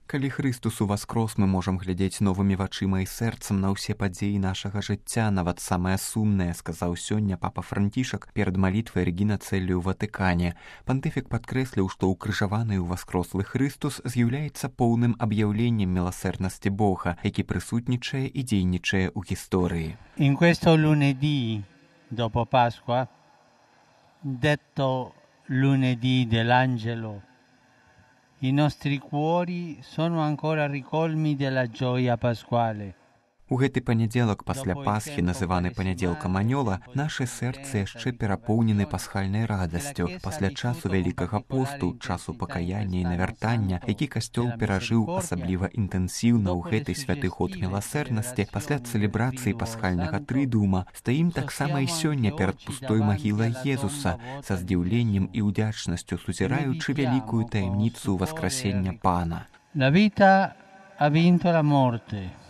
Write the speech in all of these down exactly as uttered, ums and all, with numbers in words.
Калі Христус уваскрос, мы можам глядзець новымі вачыма і сэрцам на ўсе падзеі нашага жыцця, нават самае сумнае, сказаў сёння папа Францішак перад малітвай Регіна Цэллі ў Ватыкане. Пантыфік падкрэсліў, што ўкрыжаваны і ўваскрослы Христус з'яўляецца поўным аб'яўленнем міласэрнасці Бога, які прысутнічае і дзейнічае ў гісторыі. In questo lunedì dopo Pasqua, detto lunedì dell'Angelo, i nostri cuori sono ancora ricolmi della gioia pasquale. У гэты панядзелак пасля Пасхі, называны панядзелкам анёла, нашы сэрцы яшчэ перапоўнены пасхальнай радасцю. Пасля часу Вялікага посту, часу пакаяння і навяртання, які касцёл перажыў асабліва інтэнсіўна ў гэты святы год міласэрнасці, пасля цэлебрацыі пасхальнага трыдуума, стаім таксама і сёння перад пустой магілай Езуса, са здзіўленнем і ўдзячнасцю сузіраючы вялікую таямніцу васкрасення Пана. La vita ha vinto la morte.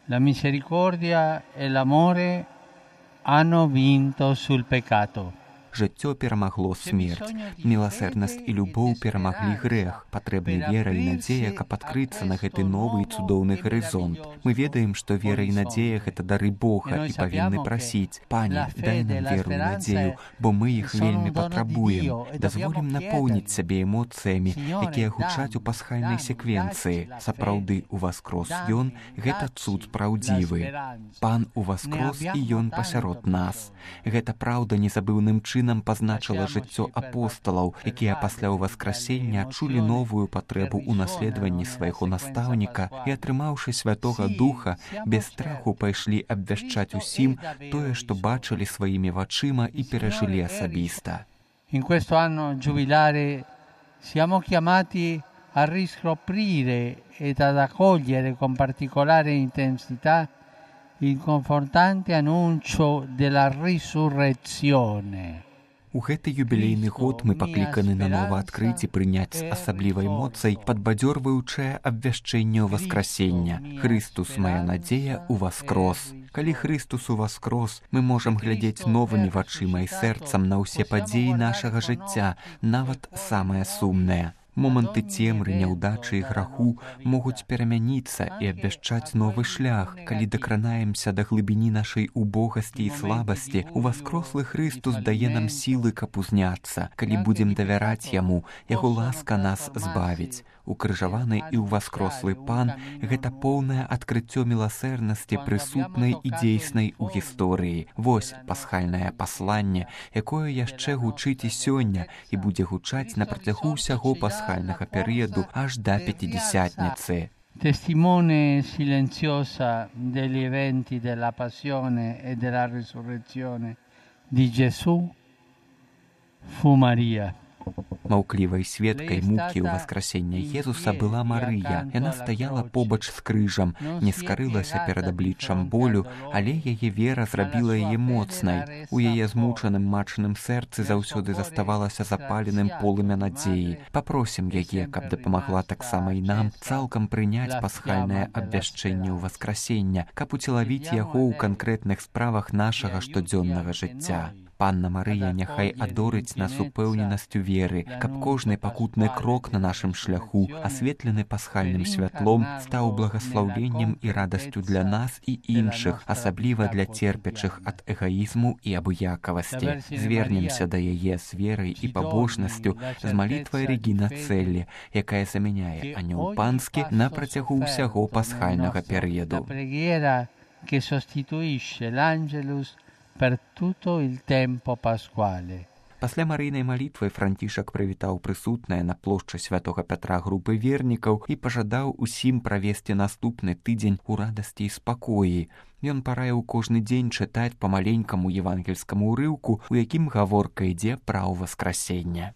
La misericordia e l'amore hanno vinto sul peccato. Жыццё перамагло смерць. Міласэрнасць і любоў перамаглі грэх. Патрэбны вера і надзея, каб адкрыцца на гэты новы і цудоўны гарызонт. Мы ведаем, што вера і надзея — гэта дары Бога, і павінны прасіць: Пане, дай нам веру і надзею, бо мы іх вельмі патрабуем. Дазволім напоўніць сябе эмоцыямі, якія гучаць у пасхальнай секвенцыі. Сапраўды уваскрос Ён — гэта цуд праўдзівы. Пан уваскрос, і Ён пасярод нас. Гэта праўда незабыўным чынам нам пазначыла жыццё апосталаў, якія пасля ўваскрасення адчулі новую патрэбу ў наследаванні свайго настаўніка і, атрымаўшы Святога Духа, без страху пайшлі абвяшчаць усім тое, што бачылі сваімі вачыма і перажылі асабіста. In questo anno giubilare siamo chiamati a riscoprire ed ad accogliere con particolare intensità il confortante annuncio della risurrezione. У гэты юбілейны год мы пакліканы нанова адкрыць і прыняць з асаблівай моцай падбадзёрваючае абвяшчэнне васкрасення. Христус, моя надзея, уваскрос. Калі Христус уваскрос, мы можам глядзець новымі вачыма і сэрцам на ўсе падзеі нашага жыцця, нават самае сумнае. Моманты цемры, няўдачы і граху могуць перамяніцца і абвяшчаць новы шлях. Калі дакранаемся да глыбіні нашай убогасці і слабасці, уваскрослы Христус дае нам сілы, каб узняцца. Калі будзем давяраць Яму, Яго ласка нас збавіць. Укрыжаваны і ўваскрослы Пан — гэта поўнае адкрыццё міласэрнасці, прысутнай і дзейснай у гісторыі. Вось пасхальнае пасланне, якое яшчэ гучыць і сёння і будзе гучаць на працягу ўсяго пасхальнага перыяду аж да пятидесятницы. Testimone silenziosa degli eventi della passione e della risurrezione di Gesù fu Maria. Маўклівай сведкай мукі ўваскрасення Езуса была Марыя. Яна стаяла побач з крыжам, не скарылася перад абліччам болю, але яе вера зрабіла яе моцнай. У яе змучаным мачаным сэрцы заўсёды заставалася запаленым полымя надзеі. Папросім яе, каб дапамагла таксама і нам цалкам прыняць пасхальнае абвяшчэнне ўваскрасення, каб уцелавіць яго ў канкрэтных справах нашага штодзённага жыцця. Панна Марыя няхай адорыць нас упэўненасцю веры, каб кожны пакутны крок на нашым шляху, асветлены пасхальным святлом, стаў благаслаўленнем і радасцю для нас і іншых, асабліва для церпячых ад эгаізму і абыякавасці. Звернемся да яе з верай і пабожнасцю, з малітвай Регіна Цэллі, якая замяняе анёл панскі на працягу ўсяго пасхальнага перыяду. Que sostituisce l'Angelus per tutto il tempo pasquale. Пасля марыйнай малітвы Францішак прывітаў прысутныя на плошчы святога Пятра групы вернікаў і пажадаў усім правесці наступны тыдзень у радасці і спакоі. Ён параіў кожны дзень чытаць па маленькаму евангельскаму ўрыўку, у якім гаворка ідзе пра ўваскрасенне.